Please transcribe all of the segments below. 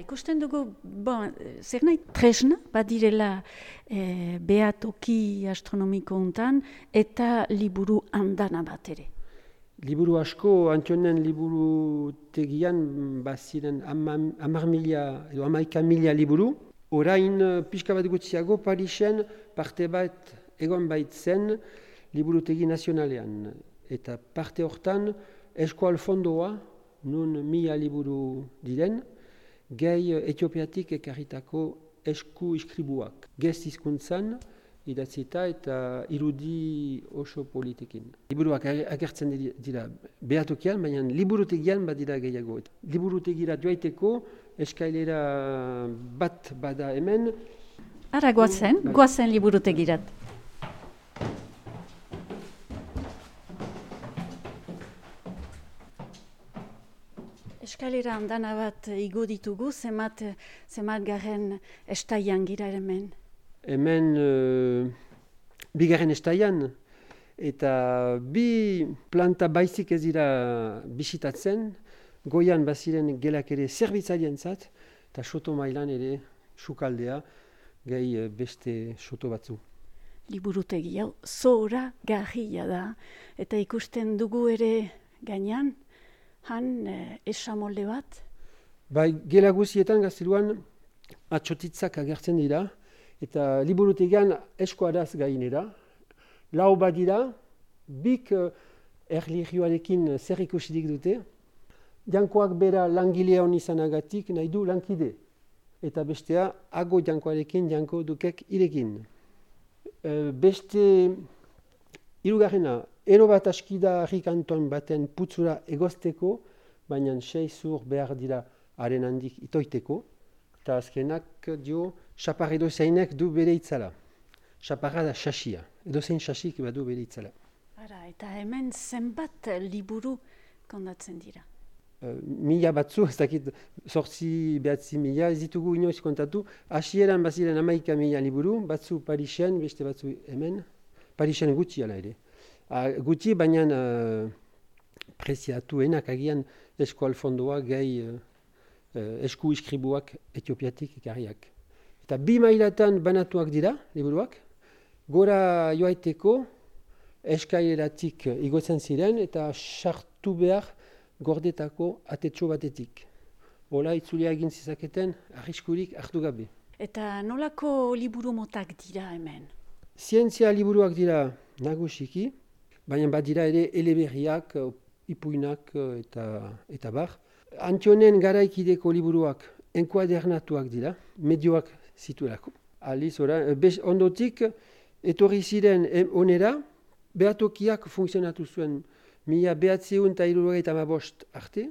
Ikusten dugu, zer nahi tresna, badirela behatoki astronomiko untan, eta liburu andana bat ere. Liburu asko, Antionen liburutegian baziren 11.000 liburu. Orain pixka bat gutxiago Parisen parte bat egon baitzen liburutegi nazionalean. Eta parte hortan eskual fondoa, nun 1000 liburu diren, gehi Etiopiatik ekarritako esku iskribuak. Gez hizkuntzan idatzita eta irudi oso politikin. Liburuak agertzen dira behatokian, baina liburutegian badira gehiago. Liburutegira joaiteko eskailera bat bada hemen. Ara goazen liburutegirat. Eskalera andana bat igo ditugu, zemat garen estaian gira hemen. Hemen bigarren estaian, eta bi planta baizik ez dira bisitatzen, goian baziren gelak ere zerbitzaientzat, eta soto mailan ere sukaldea, gehi beste soto batzu. Liburutegi hau zora garria da, eta ikusten dugu ere gainan, han esamolde bat? Bai, gela guzietan gazteluan atxotitzak agertzen dira, eta liburutegian eskuaraz gainera. Lau badira, bik erlijioarekin zer ikusirik dute. Jankoak bera langile hon izanagatik nahi du lankide. Eta bestea, ago jankoarekin janko dukek irekin. Beste hirugarrena, ero bat askida harrikanton baten putzura egozteko, baina 6 zur behar dira haren handik itoiteko. Eta azkenak dio, xapar edozeinek du bere itzala. Xaparra da xasia, edozein xasik badu bere itzala. Eta hemen zenbat liburu kondatzen dira? 1000 batzu, ez dakit 8-9 ez ditugu inoiz kontatu. Hasieran baziren 11.000 liburu, batzu Parisen, beste batzu hemen. Parisen gutxi ala ere. Gutxi, baina preziatuenak agian eskual fondoa gehi esku iskribuak Etiopiatik ekarriak. Eta 2 mailatan banatuak dira, liburuak. Gora joaiteko eskaileratik igotzen ziren eta sartu behar gordetako atetxo batetik. Hola itzulia egin zizaketen arriskurik hartu gabe. Eta nolako liburu motak dira hemen? Zientzia liburuak dira nagusiki, baina badira ere eleberriak, ipuinak eta bar. Antionen garaikideko liburuak enkuadernatuak dira, medioak zituelako. Aliz, ondotik, etorri ziren onera, behatokiak funtzionatu zuen 1975 arte.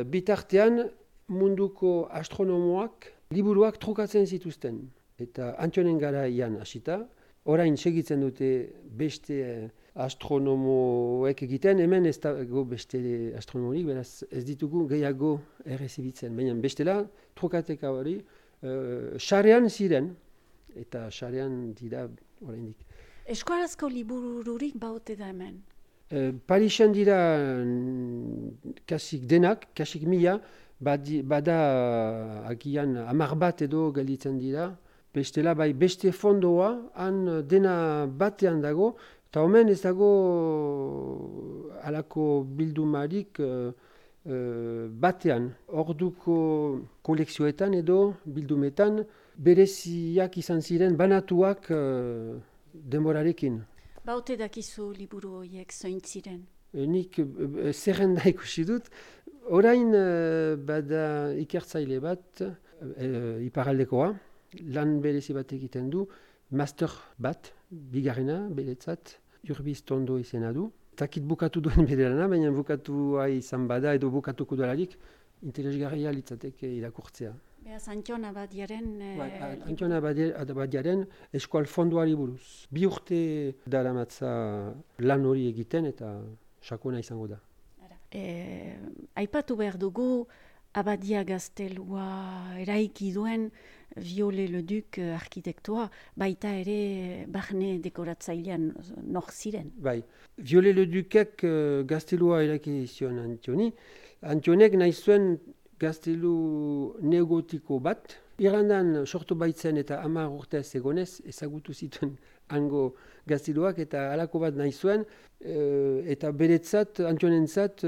Bitartean munduko astronomoak liburuak trukatzen zituzten. Eta Antionen garaian hasita, orain segitzen dute beste astronomoek egiten, hemen ez dago beste astronomorik, beraz ez ditugu gehiago errezibitzen. Baina bestela, trukateka hori, sarean ziren, eta sarean dira oraindik. Eskuarazko libururik baute da hemen? Parisen dira kasik denak, kasik 1000, bada agian 10 bat edo gelditzen dira. Bestela bai beste fondoa, han dena batean dago, eta omen ez dago alako bildumarik batean. Orduko kolekzioetan edo bildumetan bereziak izan ziren banatuak denborarekin. Baute dakizu liburu horiek zointziren? Nik zerrenda ikusi dut. Orain bada ikertzaile bat, iparaldekoa, lan berezi bat egiten du, master bat, bigarrena, beretzat, Urbiz Tondo izena du. Takit bukatu duen bere lana, baina bukatua izan bada edo bukatuko duelarik, interesgarria litzateke irakurtzea. Beaz, Antion Abadiaren... Antion Abadiaren eskual fondoari buruz. 2 urte daramatza lan hori egiten eta sakona izango da. Aipatu behar dugu, Abadia gaztelua eraiki duen Viollet-le-Duc arkitektoa, baita ere barne dekoratzailean nor ziren. Bai, Viollet-le-Ducek gaztelua eraiki zion Antioni. Antionek nahi zuen gaztelu neogotiko bat. Irandan sortu baitzen eta 10 urtez egonez ezagutu zituen hango gazteluak eta halako bat nahi zuen. Eta beretzat, Antionentzat,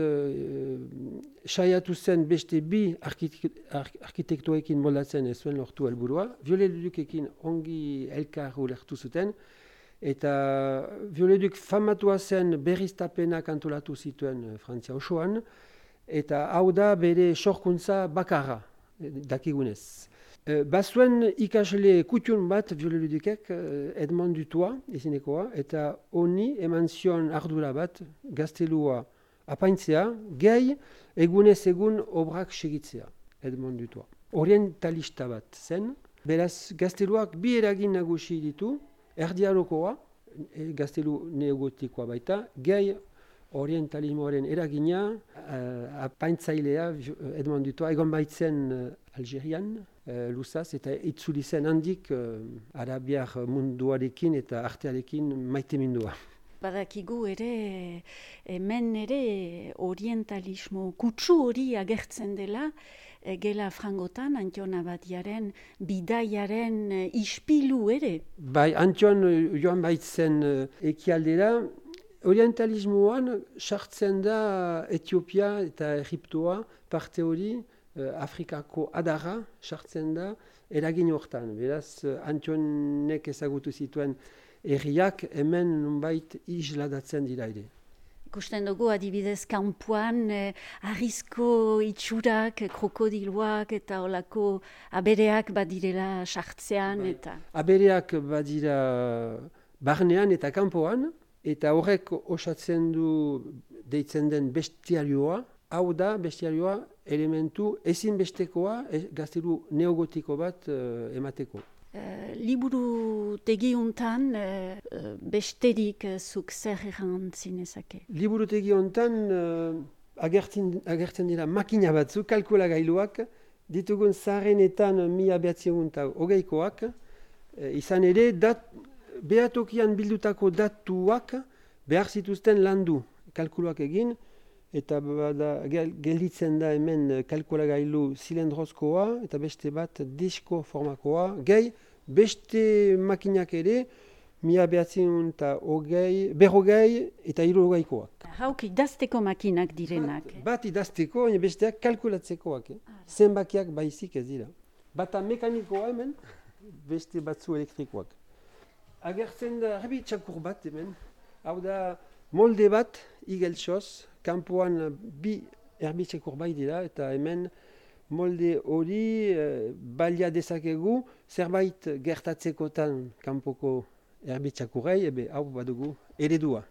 saiatu zen beste bi arkitektoekin moldatzen ez zuen lortu helburua. Viollet-le-Ducekin ongi elkar ulertu zuten. Eta Viollet-le-Duc famatua zen berriztapenak antolatu zituen Frantzia osoan. Eta hau da bere sorkuntza bakarra, dakigunez. Bazuen ikasle kutxun bat Viollet-le-Ducek, Edmond Dutoit izinekoa, eta honi eman zion ardura bat gaztelua apaintzea, gehi egunez egun obrak segitzea, Edmond Dutoit. Orientalista bat zen, beraz gazteluak bi eragin nagusi ditu, erdiarokoa, gaztelu neogotikoa baita, gehi orientalismoaren eragina, apaintzailea Edmond Dutoit, egon baitzen Algerian, luzaz, eta itzuli zen handik arabiar munduarekin eta artearekin maitemindua. Badakigu ere, hemen ere orientalismo kutsu hori agertzen dela, gela frangotan, Antion Abadiaren bidaiaren ispilu ere. Bai, Antion joan baitzen ekialdera, orientalismoan sartzen da Etiopia eta Egiptoa parte hori, Afrikako adarra sartzen da eragin hortan. Beraz, Antionek ezagutu zituen herriak hemen nunbait isladatzen dira ere. Ikusten dugu adibidez kanpoan harrizko itxurak, krokodiloak eta olako abereak badirela sartzean. Bai. Eta Abereak badira barnean eta kanpoan, eta horrek osatzen du deitzen den bestiarioa. Hau da bestiarioa elementu ezinbestekoa gaztelu neogotiko bat emateko. Liburu tegiuntan besterik zuk zer errantzinezake? Liburu tegiontan agertzen dira makina batzuk, kalkulagailuak, ditugun zaharrenetan 1920koak, izan ere behatokian bildutako datuak behar zituzten landu kalkuluak egin, eta gelditzen da hemen kalkulagailu zilendrozkoa eta beste bat disko formakoa. Gehi, beste makinak ere, 1920 berrogei eta 60koak. Hauk idazteko makinak direnak. Bat idazteko, besteak kalkulatzekoak. Zenbakiak baizik ez dira. Bata mekanikoa hemen, beste batzu elektrikoak. Agertzen da txakur bat hemen, hau da molde bat igeltsoz, kanpoan bi erbitxekur bai dira, eta hemen molde hori balia dezakegu zerbait gertatzekotan kanpoko erbitxakurrei, hau badugu eredua.